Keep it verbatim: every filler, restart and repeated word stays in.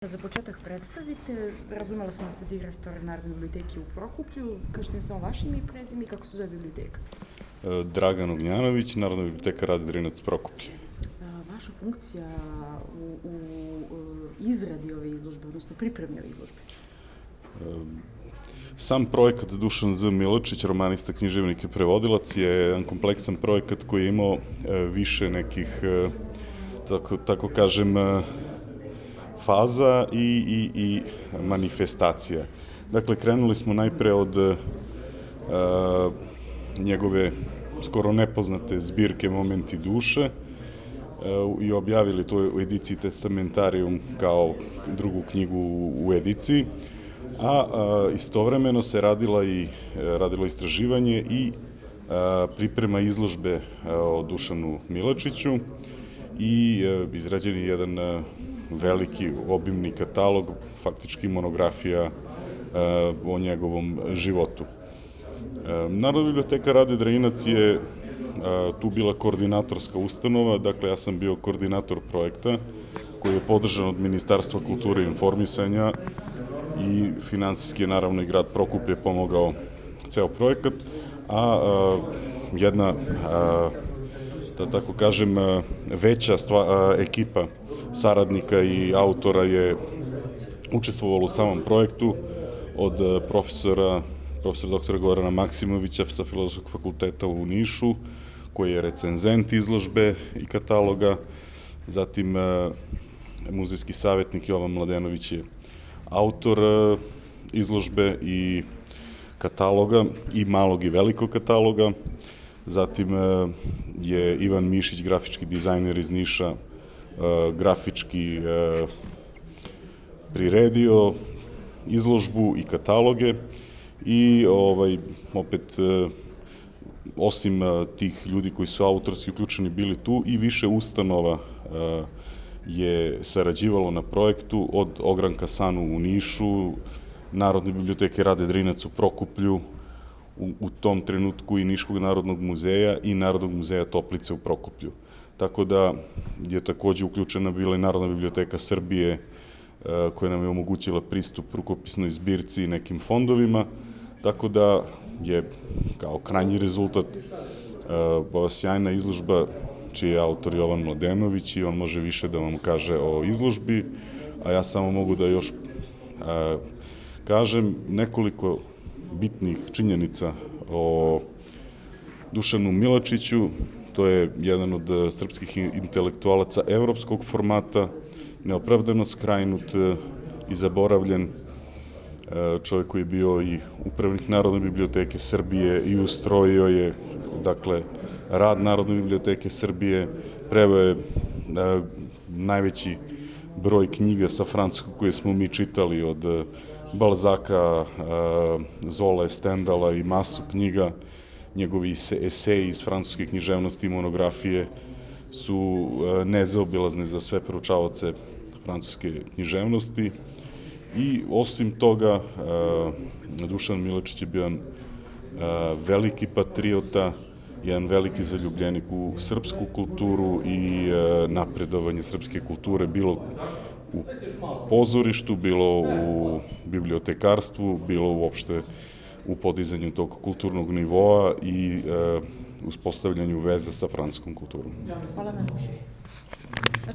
Za početak predstavite, razumela sam da ste direktor Narodne biblioteke u Prokuplju, kažete mi samo vaše ime i prezime i kako se zove biblioteka? Dragan Ognjanović, Narodna biblioteka Rade Drinac, Prokuplje. Vaša funkcija u, u, u izradi ove izložbe, odnosno pripremi ove izložbe? Sam projekat Dušan Z. Miločić, romanista, književnik i prevodilac, je jedan kompleksan projekat koji je imao više nekih, tako, tako kažem, faza i, i, i manifestacija. Dakle, krenuli smo najpre od uh, njegove skoro nepoznate zbirke Momenti duše uh, i objavili to u ediciji Testamentarium kao drugu knjigu u, u ediciji, a uh, istovremeno se radila i, uh, radilo istraživanje i uh, priprema izložbe uh, o Dušanu Miločiću i uh, izrađen je jedan uh, veliki, obimni katalog, faktički monografija e, o njegovom životu. E, Narodna biblioteka Rade Drinac je e, tu bila koordinatorska ustanova, dakle ja sam bio koordinator projekta koji je podržan od Ministarstva kulture i informisanja i finansijski je naravno i grad Prokuplje pomogao ceo projekat, a e, jedna, a, da tako kažem, veća stva, ekipa saradnika i autora je učestvovalo u samom projektu, od profesora, profesora doktora Gorana Maksimovića sa Filozofskog fakulteta u Nišu, koji je recenzent izložbe i kataloga, zatim muzejski savjetnik Jovan Mladenović je autor izložbe i kataloga, i malog i velikog kataloga, zatim je Ivan Mišić, grafički dizajner iz Niša, grafički priredio izložbu i kataloge i ovaj, opet osim tih ljudi koji su autorski uključeni bili tu i više ustanova je sarađivalo na projektu, od Ogranka Sanu u Nišu, Narodne biblioteke Rade Drinac u Prokuplju, u, u tom trenutku i Niškog narodnog muzeja i Narodnog muzeja Toplice u Prokuplju. Tako da je takođe uključena bila i Narodna biblioteka Srbije, koja nam je omogućila pristup rukopisnoj zbirci i nekim fondovima, tako da je kao krajnji rezultat ova sjajna izložba čiji je autor Jovan Mladenović i on može više da vam kaže o izložbi, a ja samo mogu da još kažem nekoliko bitnih činjenica o Dušanu Miločiću. To je jedan od srpskih intelektualaca evropskog formata, neopravdano skrajnut i zaboravljen, čovjek koji je bio i upravnik Narodne biblioteke Srbije i ustrojio je, dakle, rad Narodne biblioteke Srbije, preveo je najveći broj knjiga sa francuskog koje smo mi čitali, od Balzaka, Zole, Stendala i masu knjiga. Njegovi eseji iz francuske književnosti i monografije su nezaobilazni za sve proučavaoce francuske književnosti i osim toga Dušan Miločić je bio jedan veliki patriota, jedan veliki zaljubljenik u srpsku kulturu i napredovanje srpske kulture, bilo u pozorištu, bilo u bibliotekarstvu, bilo uopšte u podizanju tog kulturnog nivoa i e, uspostavljanju veze sa francuskom kulturom. Hvala najlepše.